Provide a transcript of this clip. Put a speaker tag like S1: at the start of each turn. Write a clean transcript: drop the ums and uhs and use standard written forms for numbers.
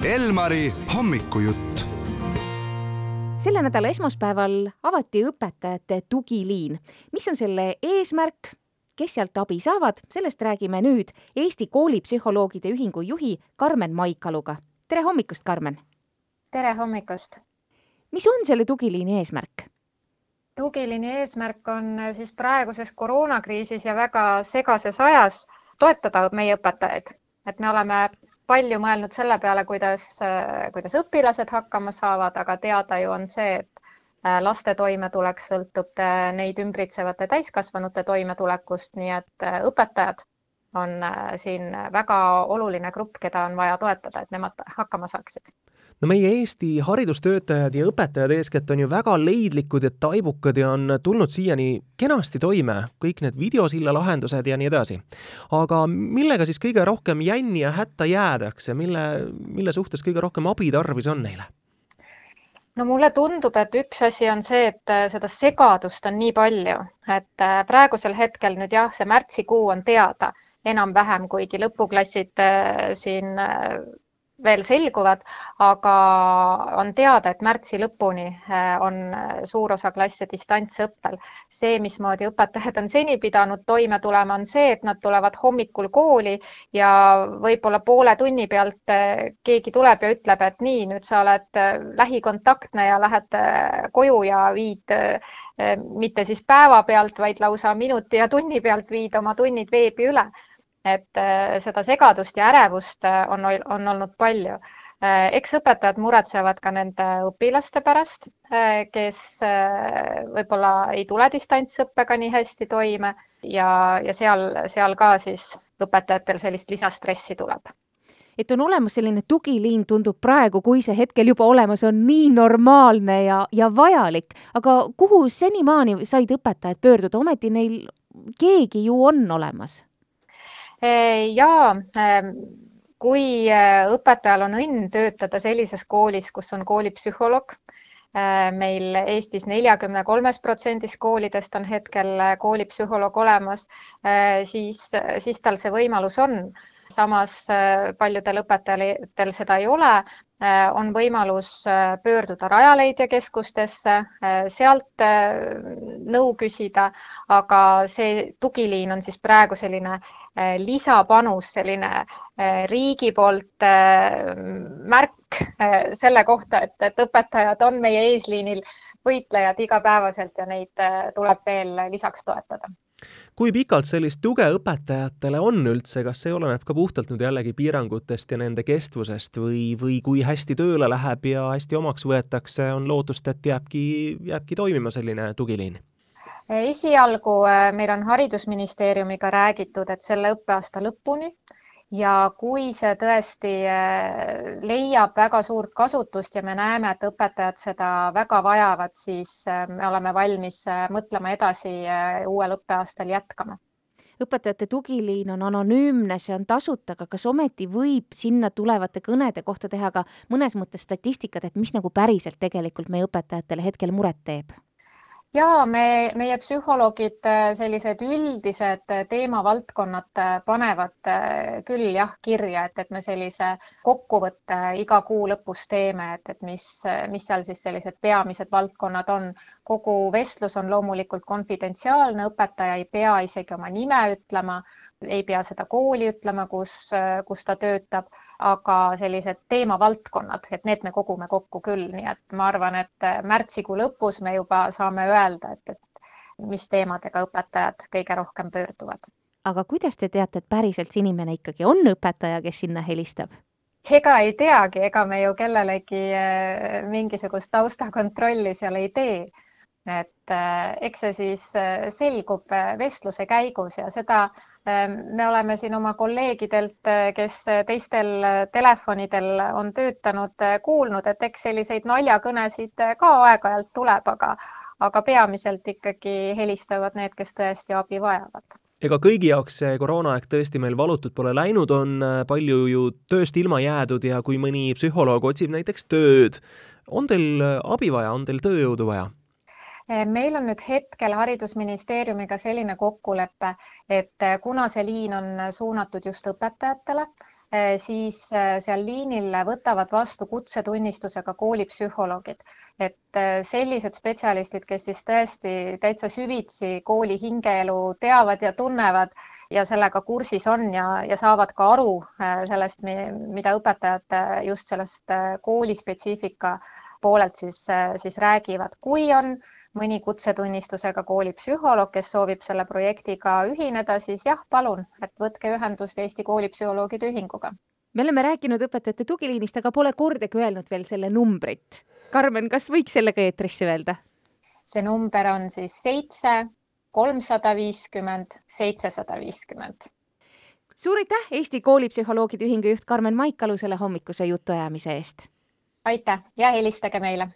S1: Elmari hommikujutt.
S2: Selle nädala esmaspäeval avati õpetajate tugiliin. Mis on selle eesmärk? Kes sealt abi saavad? Sellest räägime nüüd Eesti koolipsühholoogide ühingu juhi Karmen Maikaluga. Tere hommikust, Karmen!
S3: Tere hommikust!
S2: Mis on selle tugiliini eesmärk?
S3: Tugiliini eesmärk on siis praeguses koroonakriisis ja väga segases ajas toetada meie õpetajaid. Et me oleme palju mõelnud selle peale, kuidas õpilased hakkama saavad, aga teada ju on see, et laste toimetulek sõltub neid ümbritsevate täiskasvanute toimetulekust, nii et õpetajad on siin väga oluline grupp, keda on vaja toetada, et nemad hakkama saaksid.
S4: No meie Eesti haridustöötajad ja õpetajad eeskätt on ju väga leidlikud ja taibukad ja on tulnud siiani kenasti toime, kõik need videosilla lahendused ja nii edasi. Aga millega siis kõige rohkem jänni ja hätta jäädakse, mille suhtes kõige rohkem abi tarvis on neile?
S3: No mulle tundub, et üks asi on see, et seda segadust on nii palju, et praegusel hetkel nüüd jah, see märtsikuu on teada enam-vähem, kuigi lõpuklassid siin veel selguvad, aga on teada, et märtsi lõpuni on suur osa klasse distantsõppel. See, mismoodi õpetajad on seni pidanud toime tulema, on see, et nad tulevad hommikul kooli ja võib-olla poole tunni pealt keegi tuleb ja ütleb, et nii, nüüd sa oled lähikontaktne ja lähed koju ja viid mitte siis päeva pealt, vaid lausa minuti ja tunni pealt viid oma tunnid veebi üle. Et seda segadust ja ärevust on olnud palju. Eks õpetajad muretsevad ka nende õpilaste pärast, kes võib-olla ei tule distantsõppega nii hästi toime ja seal ka siis õpetajatel sellist lisastressi tuleb.
S2: Et on olemas selline tugiliin, tundub praegu, kui see hetkel juba olemas on nii normaalne ja vajalik. Aga kuhu senimaani said õpetajad pöörduda? Ometi neil keegi ju on olemas.
S3: Ja kui õpetajal on õnn töötada sellises koolis, kus on koolipsühholoog, meil Eestis 43% koolidest on hetkel koolipsühholoog olemas, siis tal see võimalus on. Samas paljudel õpetajatel seda ei ole, on võimalus pöörduda Rajaleidja keskustesse, sealt nõu küsida, aga see tugiliin on siis praegu selline lisapanus, selline riigi poolt märk selle kohta, et õpetajad on meie eesliinil võitlejad igapäevaselt ja neid tuleb veel lisaks toetada.
S4: Kui pikalt sellist tuge õpetajatele on üldse, kas see oleneb ka puhtalt nüüd jällegi piirangutest ja nende kestvusest või kui hästi tööle läheb ja hästi omaks võetakse, on lootust, et jääbki toimima selline tugiliin?
S3: Esialgu meil on haridusministeeriumiga räägitud, et selle õppeaasta lõpuni ja kui see tõesti leiab väga suurt kasutust ja me näeme, et õpetajad seda väga vajavad, siis me oleme valmis mõtlema edasi uuel õppeaastal jätkama.
S2: Õpetajate tugiliin on anonüümne, see on tasuta, aga kas ometi võib sinna tulevate kõnede kohta teha ka mõnes mõttes statistikat, et mis nagu päriselt tegelikult meie õpetajatele hetkel muret teeb?
S3: Ja meie psühholoogid sellised üldised teemavaldkonnad panevad küll jah kirja, et me sellise kokkuvõtte iga kuu lõpus teeme, et mis seal siis sellised peamised valdkonnad on. Kogu vestlus on loomulikult konfidentsiaalne, õpetaja ei pea isegi oma nime ütlema, ei pea seda kooli ütlema, kus ta töötab, aga sellised teemavaldkonnad, et need me kogume kokku küll, nii et ma arvan, et märtsikuu lõpus me juba saame öelda, et mis teemadega õpetajad kõige rohkem pöörduvad.
S2: Aga kuidas te teate, et päriselt see inimene ikkagi on õpetaja, kes sinna helistab?
S3: Ega ei teagi, ega me ju kellelegi mingisugust taustakontrolli seal ei tee. Et eks see siis selgub vestluse käigus ja seda me oleme siin oma kolleegidelt, kes teistel telefonidel on töötanud, kuulnud, et eks selliseid naljakõnesid ka aeg-ajalt tuleb, aga peamiselt ikkagi helistavad need, kes tõesti abi vajavad.
S4: Ega kõigi jaoks see koroonaaeg tõesti meil valutud pole läinud, on palju ju tööst ilma jäädud ja kui mõni psühholoog otsib näiteks tööd, on teil abi vaja, on teil tööjõudu vaja?
S3: Meil on nüüd hetkel haridusministeeriumiga selline kokkulepe, et kuna see liin on suunatud just õpetajatele, siis seal liinil võtavad vastu kutsetunnistusega koolipsühholoogid. Et sellised spetsialistid, kes siis tõesti täitsa süvitsi kooli hingeelu teavad ja tunnevad ja sellega kursis on ja saavad ka aru sellest, mida õpetajad just sellest koolispetsiifika poolelt siis räägivad. Kui on mõni kutsetunnistusega koolipsühholoog, kes soovib selle projektiga ühineda, siis jah, palun, et võtke ühendust Eesti koolipsühholoogide ühinguga.
S2: Me oleme rääkinud õpetajate tugiliinist, aga pole kordagi öelnud veel selle numbrit. Karmen, kas võiks selle ka eetrisse öelda?
S3: See number on siis 7 350 750.
S2: Suur aitäh Eesti koolipsühholoogide ühingu juht Karmen Maikalu selle hommikuse jutuajamise eest.
S3: Aitäh ja helistage meile!